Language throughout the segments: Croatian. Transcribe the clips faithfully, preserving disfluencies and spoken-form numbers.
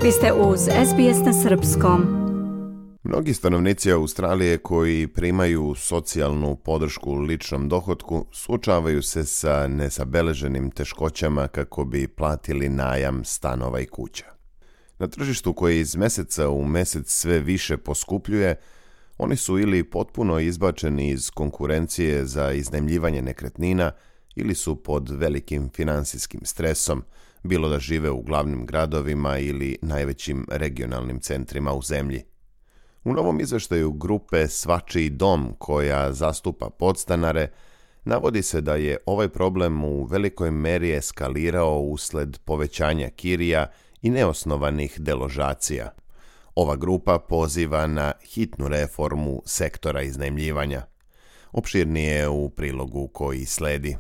Vi ste uz S B S na srpskom. Mnogi stanovnici Australije koji primaju socijalnu podršku ličnom dohotku suočavaju se sa nezabeleženim teškoćama kako bi platili najam stanova i kuća. Na tržištu koje iz mjeseca u mjesec sve više poskupljuje, oni su ili potpuno izbačeni iz konkurencije za iznajmljivanje nekretnina ili su pod velikim financijskim stresom, bilo da žive u glavnim gradovima ili najvećim regionalnim centrima u zemlji. U novom izveštaju grupe Svačiji dom, koja zastupa podstanare, navodi se da je ovaj problem u velikoj meri eskalirao usled povećanja kirija i neosnovanih deložacija. Ova grupa poziva na hitnu reformu sektora iznajmljivanja. Opširnije u prilogu koji sledi.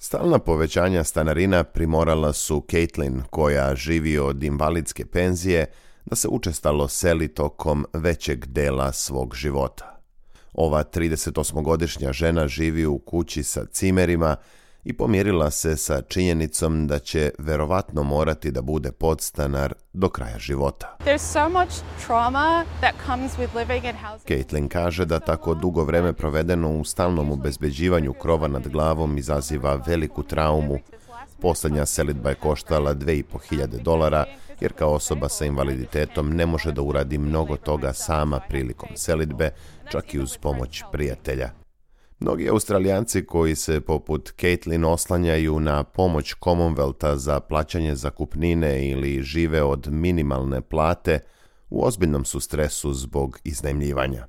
Stalna povećanja stanarina primorala su Caitlin, koja živi od invalidske penzije, da se učestalo seli tokom većeg dela svog života. Ova tridesetosmogodišnja žena živi u kući sa cimerima i pomirila se sa činjenicom da će verovatno morati da bude podstanar do kraja života. Caitlin kaže da tako dugo vreme provedeno u stalnom obezbeđivanju krova nad glavom izaziva veliku traumu. Poslednja selidba je koštala dve i po hiljade dolara, jer kao osoba sa invaliditetom ne može da uradi mnogo toga sama prilikom selidbe, čak i uz pomoć prijatelja. Mnogi Australijanci koji se poput Caitlin oslanjaju na pomoć Commonwealtha za plaćanje zakupnine ili žive od minimalne plate u ozbiljnom su stresu zbog iznajmljivanja.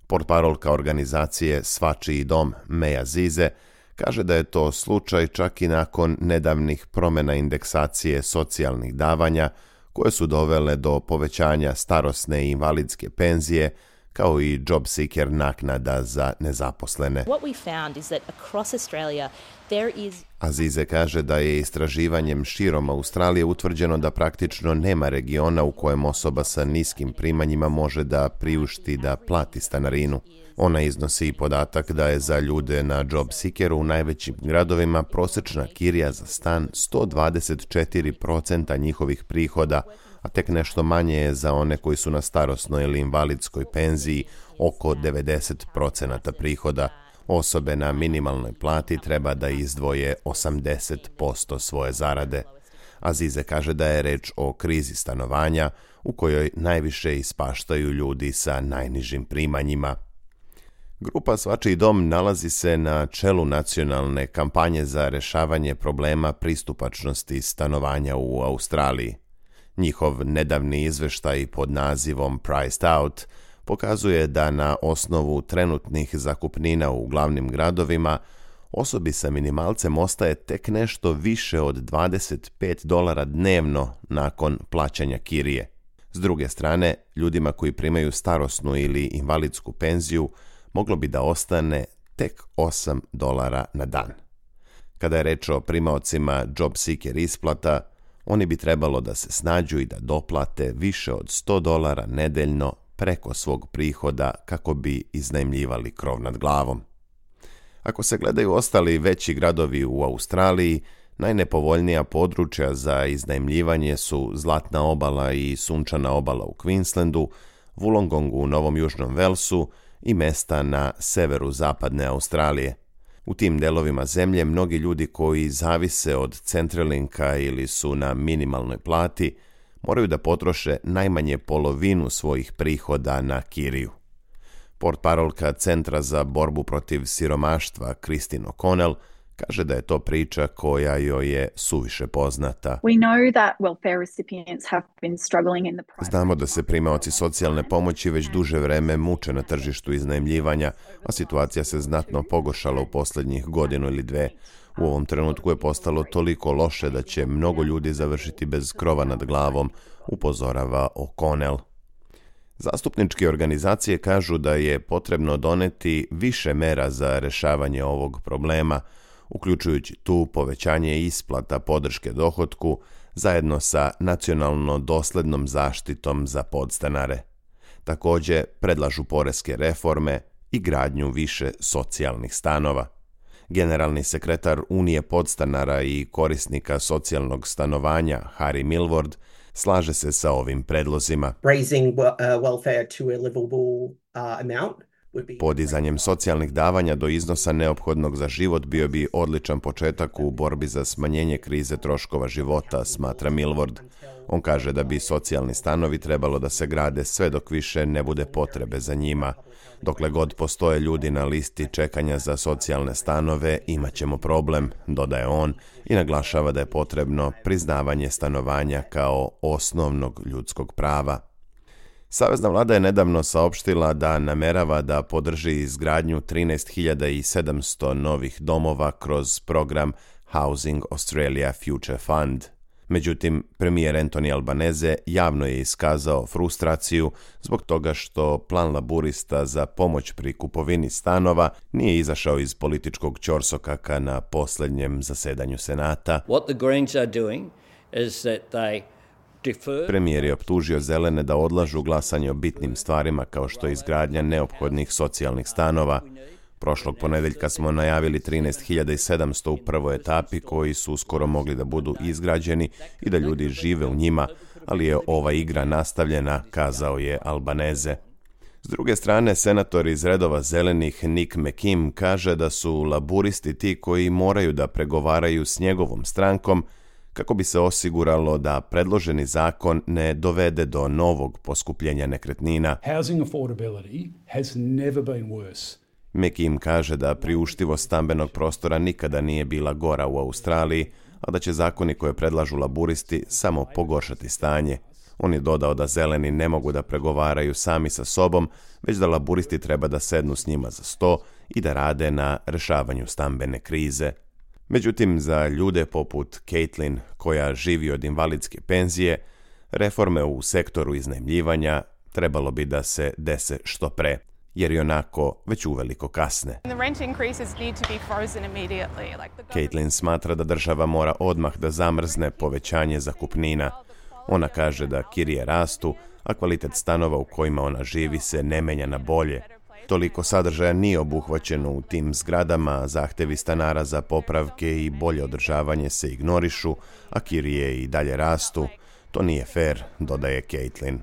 Portparolka organizacije Svačiji dom, Meja Zize, kaže da je to slučaj čak i nakon nedavnih promjena indeksacije socijalnih davanja koje su dovele do povećanja starosne i invalidske penzije, kao i job seeker naknada za nezaposlene. Azize kaže da je istraživanjem širom Australije utvrđeno da praktično nema regiona u kojem osoba sa niskim primanjima može da priušti da plati stanarinu. Ona iznosi i podatak da je za ljude na job seekeru u najvećim gradovima prosječna kirija za stan sto dvadeset četiri posto njihovih prihoda, a tek nešto manje je za one koji su na starosnoj ili invalidskoj penziji, oko devedeset posto prihoda. Osobe na minimalnoj plati treba da izdvoje osamdeset posto svoje zarade. Azize kaže da je reč o krizi stanovanja u kojoj najviše ispaštaju ljudi sa najnižim primanjima. Grupa Svačiji dom nalazi se na čelu nacionalne kampanje za rešavanje problema pristupačnosti stanovanja u Australiji. Njihov nedavni izveštaj pod nazivom Priced Out pokazuje da na osnovu trenutnih zakupnina u glavnim gradovima osobi sa minimalcem ostaje tek nešto više od dvadeset pet dolara dnevno nakon plaćanja kirije. S druge strane, ljudima koji primaju starosnu ili invalidsku penziju moglo bi da ostane tek osam dolara na dan. Kada je reč o primaocima job seeker isplata, oni bi trebalo da se snađu i da doplate više od sto dolara nedeljno preko svog prihoda kako bi iznajmljivali krov nad glavom. Ako se gledaju ostali veći gradovi u Australiji, najnepovoljnija područja za iznajmljivanje su Zlatna obala i Sunčana obala u Queenslandu, Wollongongu u Novom Južnom Velsu i mesta na severu zapadne Australije. U tim delovima zemlje mnogi ljudi koji zavise od Centralinka ili su na minimalnoj plati moraju da potroše najmanje polovinu svojih prihoda na kiriju. Portparolka Centra za borbu protiv siromaštva Christine O'Connell kaže da je to priča koja joj je suviše poznata. Znamo da se primaoci socijalne pomoći već duže vreme muče na tržištu iznajmljivanja, a situacija se znatno pogoršala u posljednjih godinu ili dve. U ovom trenutku je postalo toliko loše da će mnogo ljudi završiti bez krova nad glavom, upozorava O'Connell. Zastupničke organizacije kažu da je potrebno doneti više mera za rešavanje ovog problema, uključujući tu povećanje isplata podrške dohotku zajedno sa nacionalno doslednom zaštitom za podstanare. Također predlažu poreske reforme i gradnju više socijalnih stanova. Generalni sekretar Unije podstanara i korisnika socijalnog stanovanja Harry Milward slaže se sa ovim predlozima. Raising uh, welfare to a livable uh, amount. Podizanjem socijalnih davanja do iznosa neophodnog za život bio bi odličan početak u borbi za smanjenje krize troškova života, smatra Milward. On kaže da bi socijalni stanovi trebalo da se grade sve dok više ne bude potrebe za njima. Dokle god postoje ljudi na listi čekanja za socijalne stanove, imat ćemo problem, dodaje on i naglašava da je potrebno priznavanje stanovanja kao osnovnog ljudskog prava. Savezna vlada je nedavno saopštila da namerava da podrži izgradnju trinaest hiljada sedamsto novih domova kroz program Housing Australia Future Fund. Međutim, premijer Anthony Albanese javno je iskazao frustraciju zbog toga što plan laburista za pomoć pri kupovini stanova nije izašao iz političkog ćorsokaka na posljednjem zasedanju Senata. What the Greens are doing is that they Premijer je optužio zelene da odlažu glasanje o bitnim stvarima kao što je izgradnja neophodnih socijalnih stanova. Prošlog ponedjeljka smo najavili trinaest hiljada sedamsto u prvoj etapi koji su uskoro mogli da budu izgrađeni i da ljudi žive u njima, ali je ova igra nastavljena, kazao je Albanese. S druge strane, senator iz redova zelenih Nick McKim kaže da su laburisti ti koji moraju da pregovaraju s njegovom strankom kako bi se osiguralo da predloženi zakon ne dovede do novog poskupljenja nekretnina. Housing affordability has never been worse. McKim kaže da priuštivost stambenog prostora nikada nije bila gora u Australiji, a da će zakoni koje predlažu laburisti samo pogoršati stanje. On je dodao da zeleni ne mogu da pregovaraju sami sa sobom, već da laburisti treba da sednu s njima za sto i da rade na rešavanju stambene krize. Međutim, za ljude poput Caitlin, koja živi od invalidske penzije, reforme u sektoru iznajmljivanja trebalo bi da se dese što pre, jer i onako već uveliko kasne. Caitlin smatra da država mora odmah da zamrzne povećanje zakupnina. Ona kaže da kirije rastu, a kvalitet stanova u kojima ona živi se ne menja na bolje. Toliko sadržaja nije obuhvaćeno u tim zgradama, zahtevi stanara za popravke i bolje održavanje se ignorišu, a kirije i dalje rastu. To nije fair, dodaje Caitlin.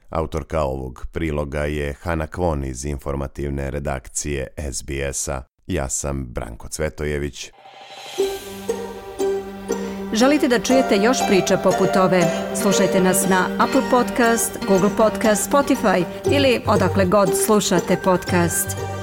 Autorka ovog priloga je Hana Kwon iz informativne redakcije S B S-a. Ja sam Branko Cvetojević. Želite da čujete još priča poput ove? Slušajte nas na Apple Podcast, Google Podcast, Spotify ili odakle god slušate podcast.